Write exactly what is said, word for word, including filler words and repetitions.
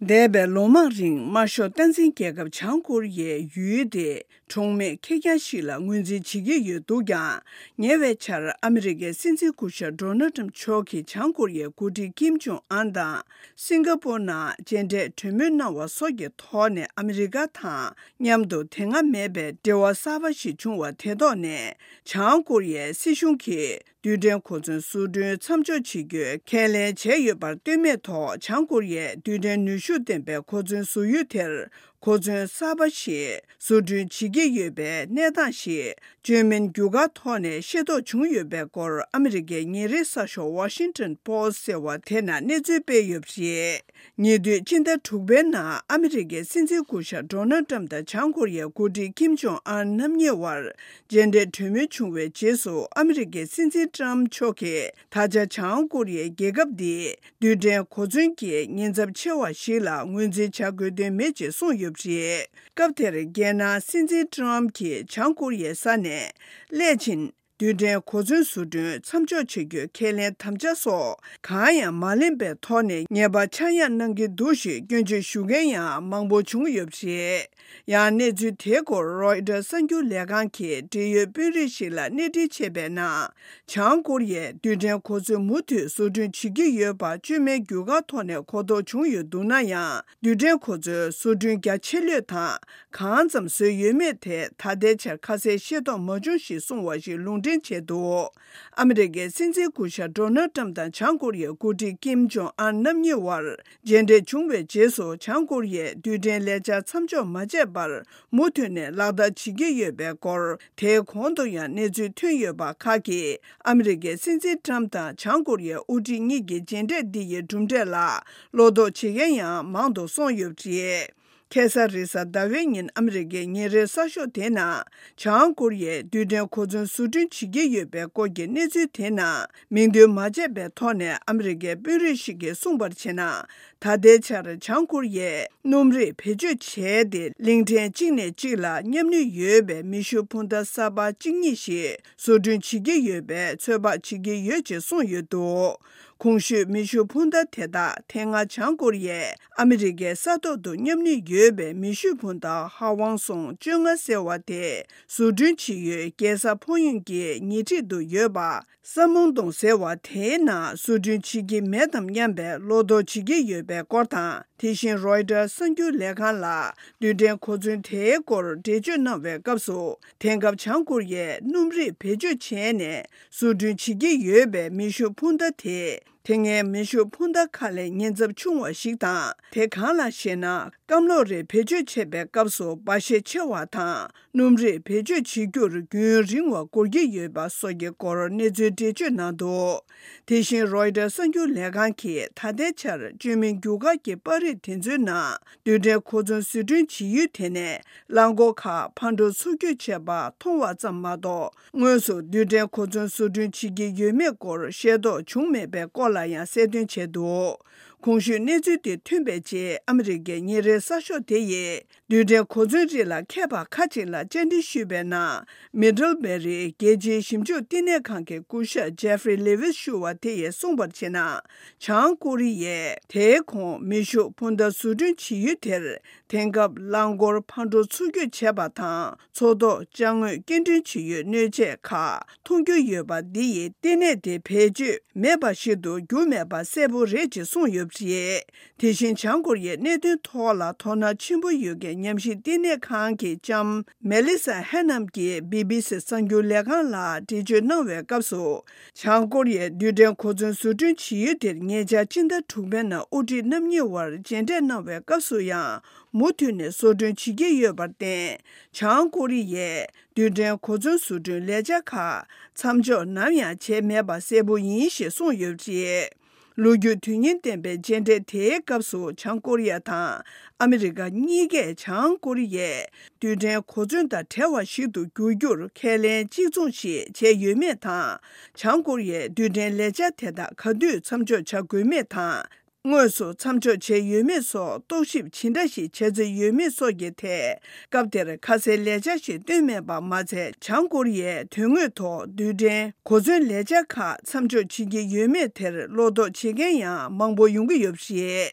འདས་པའི་ལོ་མང་རིང་དམར་ཤོག་སྟངས་འཛིན་རྒྱལ་ཁབ་བྱང་ཀོ་རི་ཡའི་ཡུལ་དེ་གྲོང་མི་ཁེར་རྐྱང་ཞིག་ལ་ངོས་འཛིན་བྱེད་ཀྱི་ཡོད་འདུག་ཀྱང་། ཉེ་བའི་ཆར་ཨ་མི་རི་ཀའི་སྲིད་འཛིན་སྐུ་ཞབས་ཌོ་ནལ་ཊམ་མཆོག་གིས་བྱང་ཀོ་རི་ཡའི་འགོ་ཁྲིད་ཀིམ་ཇོང་ཨན་དང་སིང་ག་པོར་ནང་མཇལ་འཕྲད་གྲོས་མོལ་གནང་བ་སོགས་ཀྱི་ཐོག་ནས་ཨ་མི་རི་ཀ་དང་མཉམ་དུ་དེ་སྔ་མེད་པའི་འབྲེལ་བ་གསར་པ་ཞིག་བྱུང་བ་དེ་ཐོག་ནས། བྱང་ཀོ་རི་ཡའི་སྲིད་གཞུང་གིས་རྡུལ་ཕྲན་གོ་མཚོན་བཟོ་སྐྲུན་མཚམས་འཇོག་བྱེད་རྒྱུའི་ཁས་ལེན་བྱས་ཡོད་པར་ལྟོས་མེད་ཐོག་བྱང་ཀོ་རི་ཡས་རྡུལ་ཕྲན་ནུས་ཤུགས་ལྡན་པའི་གོ་མཚོན་བཟོ་ཡུལ་དེར་གོ་མཚོན་གསར་པ་ཞིག་བཟོ་སྐྲུན་བྱེད་ཀྱི་ཡོད་པའི་གནས་སྟངས་ཤིག་བཅོས་མིན་བརྒྱུད་སྐར་ཐོག་ནས་ཤེས་རྟོགས་བྱུང་ཡོད་པའི་སྐོར་ཨ་མི་རི་ཀའི་ཉིན་རེའི་གསར་ཤོག་Washington Post ཟེར་བ་དེ་ནང་གནས་ཚུལ་སྤེལ་ཡོད་པ་རེད། ཉེ་དུས་སྤྱི་ཟླ་དྲུག་པའི་ནང་ཨ་མི་རི་ཀའི་སྲིད་འཛིན་སྐུ་ཞབས་ཌོ་ནལ་ཏྲམ་དང་བྱང་ཀོ་རི་ཡའི་འགོ་ཁྲིད་ཀིམ་ཇོང་ཨན་རྣམ་གཉིས་བར་མཇལ་འཕྲད་གྲོས་མོལ་བྱུང་བའི་རྗེས་སུ། ཨ་མི་རི་ཀའི་སྲིད་འཛིན་ཏྲམ་མཆོག་གིས་ད་ཆ་བྱང་ཀོ་རི་ཡའི་རྒྱལ་ཁབ་འདིས་རྡུལ་ཕྲན་གོ་མཚོན་གྱི་ཉེན་ཚབས་ཆེ་བ་ཞིག་ལ་ངོས་འཛིན་བྱ་དགོས་དོན་མེད་ཅེས་གསུངས་ཡོད་པ་རེད། སྐབས་དེར་རྒྱལ་ནང་སྲིད་འཛིན་ཏྲམ་གྱིས་བྱང་ཀོ་རི་ཡའི་ས་ནས་སླད་ཕྱིན། རྡུལ་ཕྲན་གོ་མཚོན་བཟོ་སྐྲུན་མཚམས་འཇོག་བྱེད་རྒྱུའི་ཁས་ལེན་དམ་བཅའ་སོགས་གང་ཡང་མ་ལེན་པའི་ཐོག་ནས་ཉེས་པ་ཆག་ཡང་གནང་གི་འདུག་ཞེས་སྐྱོན་བརྗོད་ཞུ་མཁན་ཡང་མང་པོ་བྱུང་ཡོད་པ་རེད། ཡང་གནས་ཚུལ་དེའི་སྐོར་རོའི་ཊར་གསར་འགྱུར་ལས་ཁང་གིས་འབྲེལ་ཡོད་དཔོན་རིགས་ཤིག་ལ་གནས་འདྲི་བྱས་པའི་ནང་། བྱང་ཀོ་རི་ཡས་རྡུལ་ཕྲན་གོ་མཚོན་མུ་མཐུད་བཟོ་སྐྲུན་བྱེད་ཀྱི་ཡོད་པ་བཅོས་མའི་བརྒྱུད་སྐར་ཐོག་ནས་གོ་རྟོགས་བྱུང་ཡོད་འདུག་ན་ཡང་། རྡུལ་ཕྲན་གོ་མཚོན་བཟོ་སྐྲུན་རྒྱ་ཆེ་ལོས་དང་གང་ཙམ་བཟོས་ཡོད་མེད་དེ་ད་ལྟའི་ཆར་ཁ་གསལ་ཤེས་རྟོགས་མ་བྱུང་ཞེས་གསུངས་པ་ཞིག་ལུང་འདྲེན་བྱས་འདུག་ཨ་མི་རི་ཀའི་སྲིད་འཛིན་སྐུ་ཞབས་ཌོ་ནལ་ཏྲམ་དང་བྱང་ཀོ་རི་ཡའི་འགོ་ཁྲིད་ཀིམ་ཇོང་ཨན་རྣམ་གཉིས་བར་མཇལ་འཕྲད་བྱུང་བའི་རྗེས་སུ། བྱང་ཀོ་རི་ཡས་རྡུལ་ཕྲན་ལས་འཆར་མཚམས་འཇོག་མ་བྱས་པར་མུ་མཐུད་ནས་ལག་བསྟར་བྱེད་ཀྱི་ཡོད་པའི་སྐོར། དེའི་གོང་དུ་ཡང་གནས་ཚུལ་ཐོན་ཡོད་པ་ཁག་གིས་ཨ་མི་རི་ཀའི་སྲིད་འཛིན་ཏྲམ་དང་བྱང་ཀོ་རི་ཡའི་དབུ་ཁྲིད་གཉིས་ཀྱི་མཇལ་འཕྲད་འདི་ཡི་གྲུབ་འབྲས་ལ་བློ་དོགས་བྱེད་མཁན་ཡང་མང་དུ་སོང་ཡོད་པ་རེད། ཁ་སང་རེས་གཟའ་ཟླ་བའི་ཉིན་ཨ་མི་རི་ཀའི་ཉིན་རེའི་གསར་ཤོག་དེ་ནང་། བྱང་ཀོ་རི་ཡས་རྡུལ་ཕྲན་གོ་མཚོན་བཟོ་སྐྲུན་བྱེད་ཀྱི་ཡོད་པའི་སྐོར་གྱི་གནས་ཚུལ་དེ་ནང་མིང་འདོན་མ་བྱས་པའི་ཐོག་ནས་ཨ་མི་རི་ཀའི་དཔོན་རིགས་ཤིག་གིས་གསུངས་པར་བྱས་ན། ད་ལྟའི་ཆར་བྱང་ཀོ་རི་ཡས་སྣུམ་རིགས་བེད་སྤྱོད་བྱས་ཏེ། གླིང་ཕྲན་གཅིག་ནས་གཅིག་ལ་མཉམ་ནུས་ཡོད་པའི་མེ་ཤུགས་འཕུར་མདའ་གསར་པ་གཅིག་གཉིས་ཤིག་བཟོ་སྐྲུན་བྱེད་ཀྱི་ཡོད་པའི་ཚོད་དཔག་བྱེད་ཀྱི་ཡོད་ཅེས་གསུངས་ཡོད་འདུག་གོང་ཞུས་མེ་ཤུགས་འཕུར་མདའ་དེ་དག་དེ་སྔ་བྱང་ཀོ་རི་ཡས་ཨ་མི་རི་ཀའི་ས་ཐོག་ཏུ་མཉམ་ནུས་ཡོད་པའི་མེ་ཤུགས་འཕུར་མདའ་ཧ་ཝང་སུང་བཅོ་ལྔ་ཟེར་བ་དེ་བཟོ་སྐྲུན་བྱེད་ཡུལ་རྒྱལ་ས་ཕོ་ཡོན་གྱི་ཉེ་འཁྲིས་དུ་ཡོད་པ། ས་མུང་རྡོང་ཟེར་བ་དེའི་ནང་བཟོ་སྐྲུན་བྱེད་ཀྱི་མེད་དམ་སྙམ་པའི་བློ་དོགས་བྱེད་ཀྱི་ཡོད་པའི་སྐོར་དང་། དེ་བཞིན་རོའི་ཊར་གསར་འགྱུར་ལས་ཁང་ལ་རྡུལ་ཕྲན་གོ་མཚོན་དེའི་སྐོར་འགྲེལ་བརྗོད་གནང་བའི་སྐབས་སུ། དེང་སྐབས་བྱང་ཀོ་རི་ཡས་སྣུམ་རིགས་བེད་སྤྱོད་བྱས་ནས་བཟོ་སྐྲུན་བྱེད་ཀྱི་ཡོད་པའི་མེ་ཤུགས་འཕུར་མདའ་དེ། དེ་སྔའི་མེ་ཤུགས་འཕུར་མདའ་ཁག་ལས་ཉེན་ཚབས་ཆུང་བ་ཞིག་དང་། དེ་གང་ལགས་ཤེ་ན། སྐམ་གློག་རིགས་བེད་སྤྱོད་བྱེད་པའི་སྐབས་སུ་འབར་ཤས་ཆེ་བ་དང་། སྣུམ་རིགས་བེད་སྤྱོད་བྱེད་རྒྱུར་རྒྱུན་རིང་བ་འགོར་གྱི་ཡོད་པ་སོགས་ཀྱི་སྐོར་གནས་ཚུལ་འགྲེལ་བརྗོད་གནང་འདུག་དེ་བཞིན་རོའི་ཊར་གསར་འགྱུར་ལས་ཁང་གིས་ད་ལྟའི་ཆར་བཅོས་མིན་རྒྱུ་སྐར་གྱི་པར་རིས་དེ་ཚོའི་ནང་རྡུལ་ཕྲན་གོ་མཚོན་བཟོ་སྐྲུན་བྱེད་ཡུལ་དེ་ནས་རླངས་འཁོར་ཁག་ཕར་འགྲོ་ཚུར་སྐྱོད་བྱས་པ་མཐོང་བ་ཙམ་མ་གཏོགས། དངོས་སུ་རྡུལ་ཕྲན་གོ་མཚོན་བཟོ་སྐྲུན་བྱེད་ཀྱི་ཡོད་མེད་སྐོར་ཤེས་རྟོགས་བྱུང་མེད་པའི་སྐོར་ལ་ཡང་གསལ་སྟོན་བྱས་འདུག་གོང་ཞུས་གནས་ཚུལ་དེ་ཐོན་པའི་རྗེས་ཨ་མི་རི་ཀའི་ཉིན་རེའི་གསར་ཤོག་དེ་ཡིས། རྡུལ་ཕྲན་གོ་མཚོན་རིགས་ལ་མཁས་པ་ཁག་ཅིག་ལ་བཅར་འདྲི་ཞུས་པའི་ནང་། མི་ཌལ་བེ་རིའི་རྒྱལ་སྤྱིའི་ཞིབ་འཇུག་བསྟི་གནས་ཁང་གི་སྐུ་ཞབས་ཇེ་ཧྥི་རི་ལེ་ཝིས་ཞུ་བ་དེ་ཡིས་གསུངས་པར་བྱས་ན། བྱང་ཀོ་རི་ཡས་དེའི་གོང་མེ་ཤུགས་འཕུར་མདའ་བཟོ་སྐྲུན་བྱེད་ཡུལ་དེར། དེང་སྐབས་རླངས་འཁོར་ཕར་འགྲོ་ཚུར་སྐྱོད་བྱས་པ་དང་། མཚོ་ཐོག་ཅ་དངོས་སྐྱེལ་འདྲེན་བྱེད་ཡུལ་སྣོད་ཆས་ཁག་མཐོང་རྒྱུ་ཡོད་པ་འདི་ཡིས་བསྟི་གནས་དེ་བེད་སྤྱོད་མེད་པ་ཞིག་ཏུ་གྱུར་མེད་པ་གསལ་པོ་རེད་ཅེས་གསུངས་ཡོད་པ་རེད། དེ་བཞིན་བྱང་ཀོ་རི་ཡའི་གནད་དོན་ཐོག་ལ་དོ་སྣང་ཆེན་པོ་ཡོད་མཁན་ཉམས་ཞིབ་བསྟི་གནས་ཁང་གི་ལྕམ་མེ་ལི་ས་ཧེ་ནམ་གྱིས་བི་བི་སི་གསར་འགྱུར་ལས་ཁང་ལ་འགྲེལ་བརྗོད་གནང་བའི་སྐབས་སུ། བྱང་ཀོ་རི་ཡས་རྡུལ་ཕྲན་གོ་མཚོན་བཟོ་སྐྲུན་བྱེད་ཡུལ་དེར་ཉེ་ཆར་སྤྱི་ཟླ་དྲུག་པའི་ནང་དབུ་ཁྲིད་རྣམ་གཉིས་བར་མཇལ་འཕྲད་གནང་བའི་སྐབས་སུ་ཡང་མུ་མཐུད་ནས་བཟོ་སྐྲུན་བྱེད་ཀྱི་ཡོད་པར་བརྟེན། བྱང་ཀོ་རི་ཡས་རྡུལ་ཕྲན་གོ་མཚོན་བཟོ་སྐྲུན་ལས་འཆར་ཁག་མཚམས་འཇོག་ནམ་ཡང་བྱས་མེད་པ་གསལ་པོ་ཡིན་ཞེས་གསུངས་ཡོད་པ་རེད། ལོ་རྒྱུས་དོན་སྙིང་ལྡན་པའི་མཇལ་འཕྲད་དེའི་སྐབས་སུ་བྱང་ཀོ་རི་ཡ་དང་ཨ་མི་རི་ཀ་གཉིས་ཀས་བྱང་ཀོ་རི་ཡས་རྡུལ་ཕྲན་གོ་མཚོན་དང་བྲལ་བ་ཞིག་ཏུ་འགྱུར་རྒྱུར་ཁས་ལེན་གཅིག་མཚུངས་ཤིག་བྱས་ཡོད་མེད་དང་། བྱང་ཀོ་རི་ཡས་རྡུལ་ཕྲན་ལས་འཆར་དེ་དག་ག་དུས་མཚམས་འཇོག་བྱ་དགོས་མེད་དང་། དངོས་སུ་མཚམས་འཇོག་བྱས་ཡོད་མེད་སོགས་རྟོག་ཞིབ་ཇི་འདྲ་ཞིག་བྱས་ཚུལ་ཡོད་མེད་སོགས་ཀྱི་ཐད། སྐབས་དེར་ཁ་གསལ་ལས་འཆར་ཞིག་བཏོན་མེད་པ་མ་ཚད། བྱང་ཀོ་རི་ཡས་དོན་དངོས་ཐོག་རྡུལ་ཕྲན་གོ་མཚོན་ལས་འཆར་ཁག་མཚམས་འཇོག་བྱེད་ཀྱི་ཡོད་མེད་དེར་བློ་དོགས་བྱེད་མཁན་ཡང་མང་པོ་ཡོང་གི་ཡོད་པ་རེད།